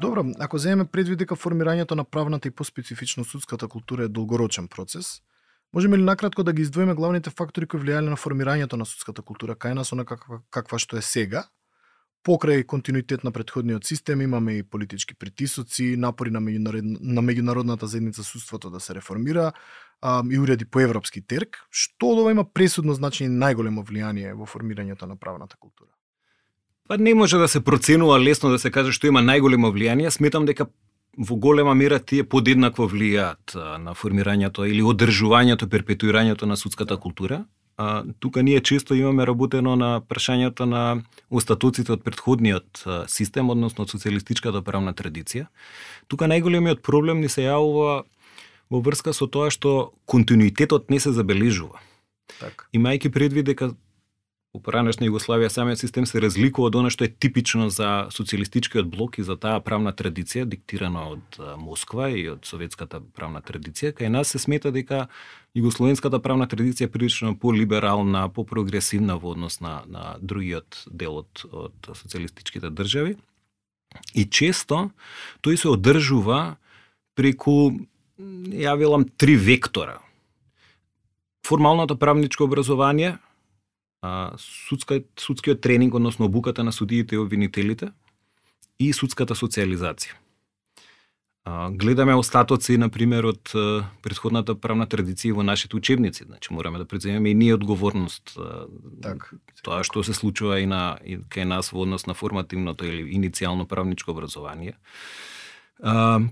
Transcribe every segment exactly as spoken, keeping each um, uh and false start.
Добро, ако земеме предвид дека формирањето на правната и поспецифично судската култура е долгорочен процес, можеме ли накратко да ги издвоиме главните фактори кои влијаеле на формирањето на судската култура кај нас, она каква, каква што е сега? Покрај континуитет на претходниот систем имаме и политички притисоци, напори на, меѓународ... на меѓународната заедница судството да се реформира а, и уреди по европски терк. Што од ова има пресудно значење и најголемо влијание во формирањето на правната култура? Па не може да се проценува лесно да се каже што има најголемо влијание. Сметам дека во голема мера тие подеднакво влијаат на формирањето или одржувањето, перпетуирањето на судската култура. А, тука ние често имаме работено на прашањата на остатоците од претходниот систем, односно од социјалистичката правна традиција. Тука најголемиот проблем ни се јавува во врска со тоа што континуитетот не се забележува. Так. Имајќи предвид дека во поранешна Југославија самиот систем се разликува од она што е типично за социјалистичкиот блок и за таа правна традиција диктирана од Москва и од советската правна традиција. Кај нас се смета дека југословенската правна традиција е прилично по-либерална, по-прогресивна во однос на, на другиот дел од, од социјалистичките држави. И често тој се одржува преку, ја велам, три вектора. Формалното правничко образование, судска, судскиот тренинг, односно обуката на судиите и обвинителите, и судската социализација. Гледаме остатоци, например, од претходната правна традиција во нашите учебници. Значи, мораме да преземеме и ние одговорност. Так, тоа што се случува и, на, и кај нас во однос на формативното или иницијално правничко образование.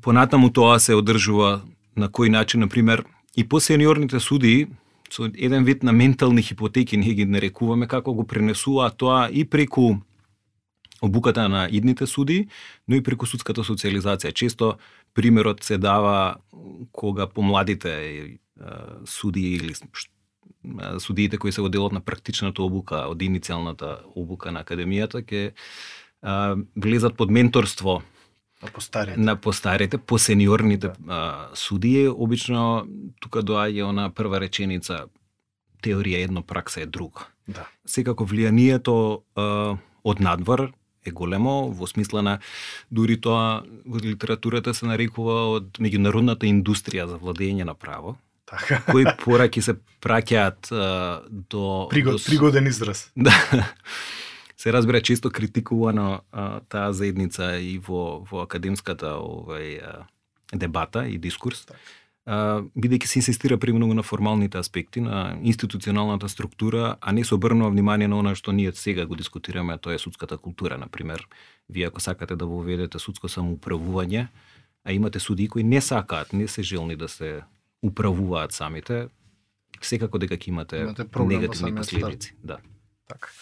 Понатаму тоа се одржува на кој начин, например, и по сениорните судии, со еден вид на ментални хипотеки ние ги нарекуваме, како го пренесува тоа и преку обуката на идните судии, но и преку судската социализација. Често примерот се дава кога помладите судии или судиите кои се во делот на практичната обука од иницијалната обука на академијата ќе влезат под менторство на постарите, на постарите, по сениорните да. судии. Обично тука доаѓа она прва реченица: теорија едно, пракса е друго. Да. Секако влијанието а, од надвор е големо, во смисла на дури тоа во литературата се нарекува од меѓународната индустрија за владење на право. Така. Кои пораки се праќаат а, до... Пригод, до... Пригоден израз. Да. Се разбира често критикувано а, таа заедница и во, во академската овај, а, дебата и дискурс, а, бидејќи се инсистира премногу на формалните аспекти, на институционалната структура, а не се обрнува внимание на она што ние сега го дискутираме, а тоа е судската култура. Например, вие ако сакате да воведете судско самоуправување, а имате судии кои не сакаат, не се желни да се управуваат самите, секако дека ќе имате, имате негативни последици. Да. Так.